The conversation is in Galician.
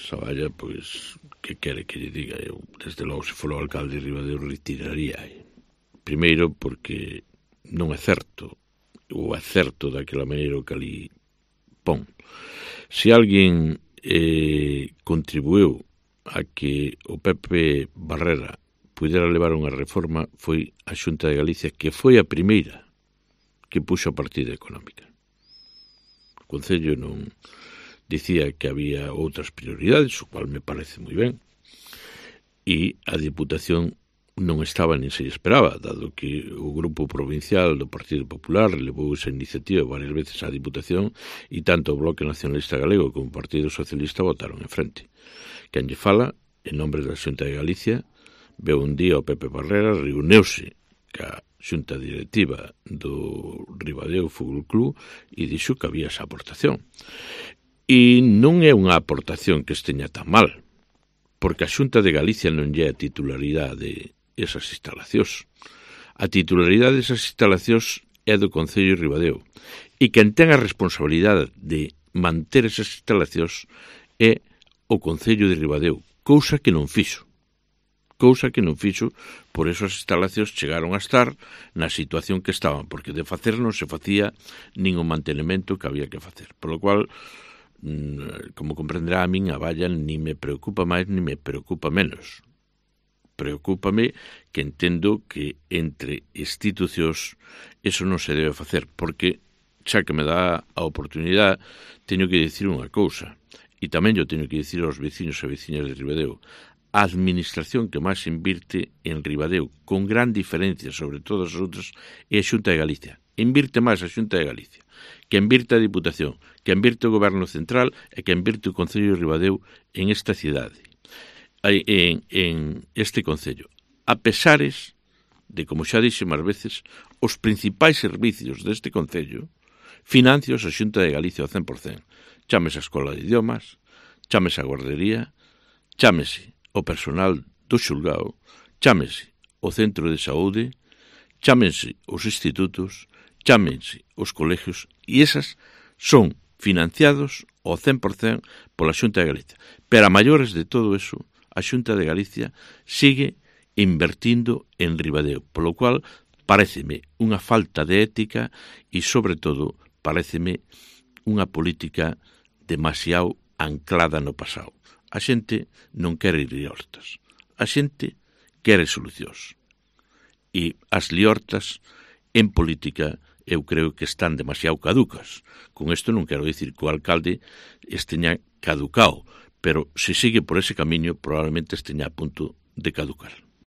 Saballa, pois, que quere que lle diga? Eu, desde logo, se for o alcalde de Ribadeo, retiraría. Primeiro, porque non é certo, ou é certo daquela maneira que ali pon. Se alguén contribuiu a que o Pepe Barrera pudera levar unha reforma foi a Xunta de Galicia, que foi a primeira que puxo a partida económica. O Concello non dicía que había outras prioridades, o cual me parece moi ben, e a Diputación non estaba nin se esperaba, dado que o Grupo Provincial do Partido Popular levou esa iniciativa varias veces á Diputación e tanto o Bloque Nacionalista Galego como o Partido Socialista votaron en frente. Quen lle fala, en nombre da Xunta de Galicia, veu un día o Pepe Barrera, reuniuse ca Xunta Directiva do Ribadeo Fútbol Club e dixo que había esa aportación. E non é unha aportación que esteña tan mal, porque a Xunta de Galicia non lle é a titularidade de esas instalacións. A titularidade desas instalacións é do Concello de Ribadeo. E quen ten a responsabilidade de manter esas instalacións é o Concello de Ribadeo, cousa que non fixo. Por eso as instalacións chegaron a estar na situación que estaban, porque de facer non se facía nin o mantenimento que había que facer. Por lo cual, como comprenderá, a min a valla ni me preocupa máis ni me preocupa menos. Preocúpame que entendo que entre institucións eso non se debe facer, porque xa que me dá a oportunidade teño que dicir unha cousa, e tamén yo teño que dicir aos veciños e veciñas de Ribadeo. A administración que máis invirte en Ribadeo, con gran diferencia sobre todas as outras, é a Xunta de Galicia. Invirte máis a Xunta de Galicia, que invirte a Diputación, que invirte o Goberno Central e que invirte o Concello de Ribadeo en esta cidade, en este Concello. A pesares de, como xa dixe máis veces, os principais servicios deste Concello financios a Xunta de Galicia ao 100%. Chámese a Escola de Idiomas, chámese a guardería, chámese o personal do xulgado, chámese o centro de saúde, chámense os institutos, chámense os colegios, e esas son financiados ao 100% pola Xunta de Galicia. Pero a maiores de todo eso, a Xunta de Galicia sigue invertindo en Ribadeo, polo cual paréceme unha falta de ética e, sobre todo, paréceme unha política demasiado anclada no pasado. A xente non quere ir liortas. A xente quere solucións. E as liortas en política eu creo que están demasiado caducas. Con isto non quero dicir que o alcalde esteña caducado, pero se sigue por ese camiño probablemente esteña a punto de caducar.